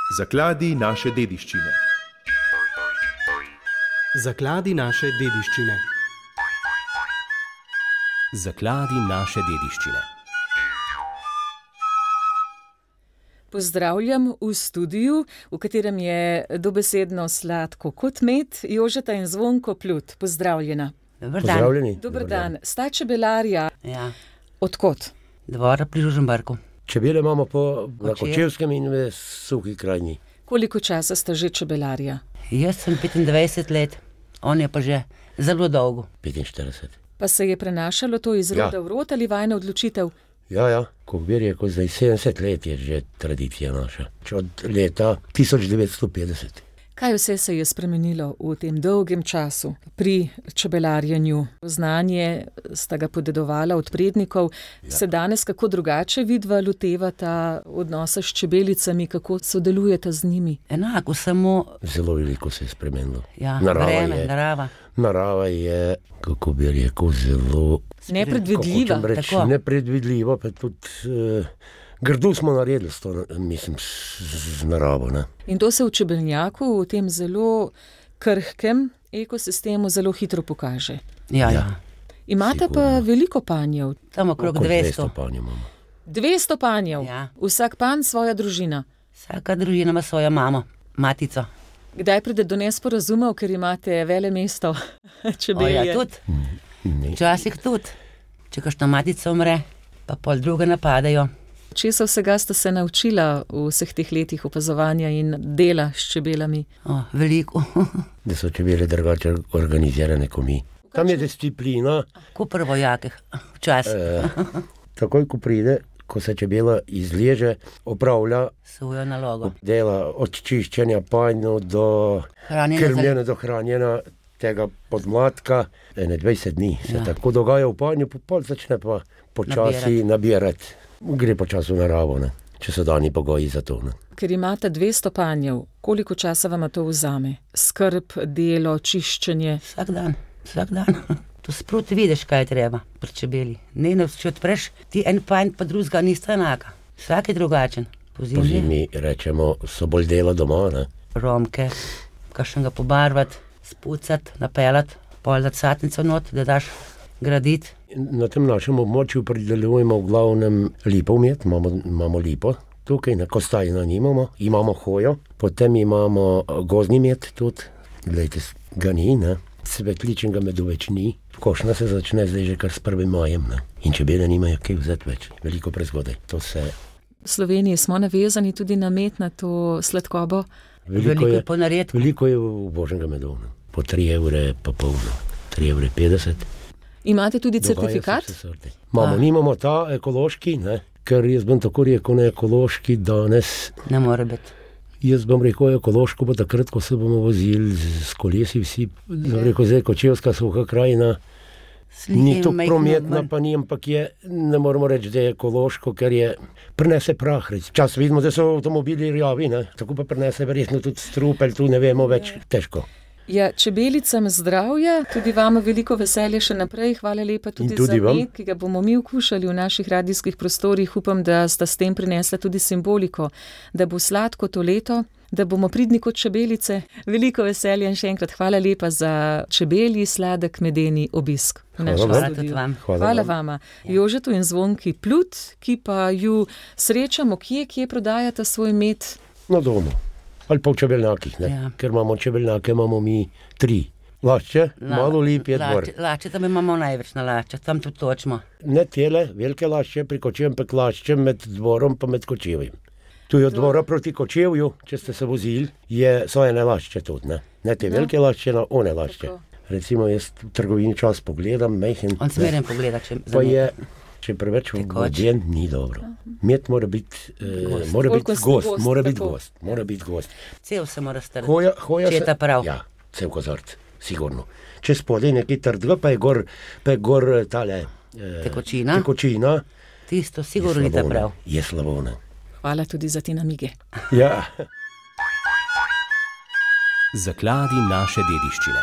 Zakladi naše dediščine. Zakladi naše dediščine. Zakladi naše dediščine. Pozdravljam v studiu, v katerem je dobesedno sladko kot med, Jožeta in Zvonko Plut. Pozdravljena. Dober dan. Pozdravljeni. Dober dan. Sta čebelarja. Ja, Odkot? Dvora pri Žužemberku. Čebele imamo na Kočevju. Kočevskem in v Suhi krajini. Koliko časa sta že čebelarja? Jaz sem 25 let, on je pa že zelo dolgo. 45. Pa se je prenašalo to iz roda v rod ali vajna odločitev? Ja, Kokbir je kot zdaj 70 let je že tradicija naša. Od leta 1950. Kaj vse se je spremenilo v tem dolgem času pri čebelarjenju? Znanje sta ga podedovala od prednikov. Se danes kako drugače vidva lotevata odnosa s čebelicami, kako sodelujeta z njimi? Enako, samo Zelo veliko se je spremenilo. ja, Narava vreme, je- narava. Narava je, kako bi rekel, zelo Nepredvidljiva. kako hočem reči, tako. nepredvidljivo, pa tudi grdo smo naredili s to, mislim, z naravo. Ne? In to se v čebelnjaku, v tem zelo krhkem ekosistemu zelo hitro pokaže. Ja. Imate pa Sigurno. veliko panjev. Tam okrog Okoli 200. panj imamo. 200 panjev. Ja. Vsak panj svoja družina. Vsaka družina ima svojo mamo, matico. Kdaj pride do nesporazumov, ker imate vele mesto čebelje? Ja, tudi. Ne. Včasih tudi. Če kakšna matica umre, pa pol druge napadajo. Česa vsega ste se naučila v vseh teh letih opazovanja in dela s čebelami? Veliko. Da so čebele drugače organizirane kot mi. Tam je disciplina. Ko prvojake, včasih. Takoj, ko pride, ko se čebela izleže, opravlja, Svojo nalogo. dela od čiščenja panjev do Hranjenje za- krmljenja, do hranjenja tega podmladka. 21 dni se tako dogaja v panju, pol začne pa počasi nabirati. Gre počasi v naravo, ne? Če so dani pogoji za to. Ne? Ker imate 200 panjev, koliko časa vam to vzame? Skrb, delo, čiščenje. Vsak dan, vsak dan. To sproti vidiš, kaj je treba pri čebeli. Ne, če odpreš, ti en panj pa drugega nista enaka. Vsak je drugačen. Po zimi rečemo, so bolj dela doma. Ne? Romke, kakšnega pobarvati, spucati, napeljati, pol dati satnico not, da daš graditi. Na tem našem območju pridelujemo v glavnem lipov med, imamo lipo tukaj, na Kostajna nimamo, imamo hojo, potem imamo gozdni med tudi, glejte, ga ni, ne? Svetličnega medu več ni, košnja se začne zdaj že kar s 1. majem, ne? In čebele nimajo kaj vzeti več, veliko prezgodaj. To se V Sloveniji smo navezani tudi na med, na to sladkobo. Veliko je ponaredkov. veliko je v božjega medu, ne? Po 3 evre pa pol, 3,50 €. Imate tudi Dogaja se certifikat? vse sorte. Nimamo ta ekološki, ne? Ker jaz bom tako rekel, ne ekološki danes. Ne more biti. Jaz bom rekel ekološko, pa takrat, ko se bomo vozili s kolesi vsi, bom rekel, zdaj Kočevska Suha krajina, ni to prometna, pa ni, ampak je, ne moramo reči, da je ekološko, ker je, prenese prah, čas vidimo, da so avtomobili rjavi, ne, tako pa prenese verjetno tudi strupelj, tu ne vemo več, težko. Ja, čebelicam zdravja, tudi vam veliko veselja še naprej. Hvala lepa tudi, In tudi za vam. med, ki ga bomo mi okušali v naših radijskih prostorih. Upam, da sta s tem prinesla tudi simboliko, da bo sladko to leto, da bomo pridni kot čebelice. Veliko veselja in še enkrat hvala lepa za čebelji sladek medeni obisk v Hvala našem vam. Hvala tudi studiu. vam. Hvala vama. Jožetu in Zvonki Plut, ki pa ju srečamo, kje prodajata svoj med. Na domu. Ali pa v čebelnjakih, ne. Ja. Ker imamo čebelnjake, imamo mi 3. Lašče, malo lip je dvor. Lašče, tam imamo največ na lašče, tam tudi točimo. Ne tele, velike lašče, pri Kočevem pa laščem med dvorom pa med Kočevjem. Tu je od dvora proti Kočevju, če ste se vozili, so ene lašče tudi, ne. Ne te velike lašče, na one lašče. Tako. Recimo jaz v trgovini čas pogledam, majhen. On smeren pogleda, če Pa je, če preveč Tekoč. voden, ni dobro. Med mora biti mora Bolj biti gost, gost, gost, mora biti tako. gost, mora biti gost. Cel se mora strati. Hoja Če je ta prav. Ja, cel kozart, sigurno. Če spodaj nekaj trdega, pa je gor tale Tekočina. tekočina, Tisto sigurno ni ta prav. Je slabo, ne. Hvala tudi za te namige. Ja. Zakladi naše dediščine.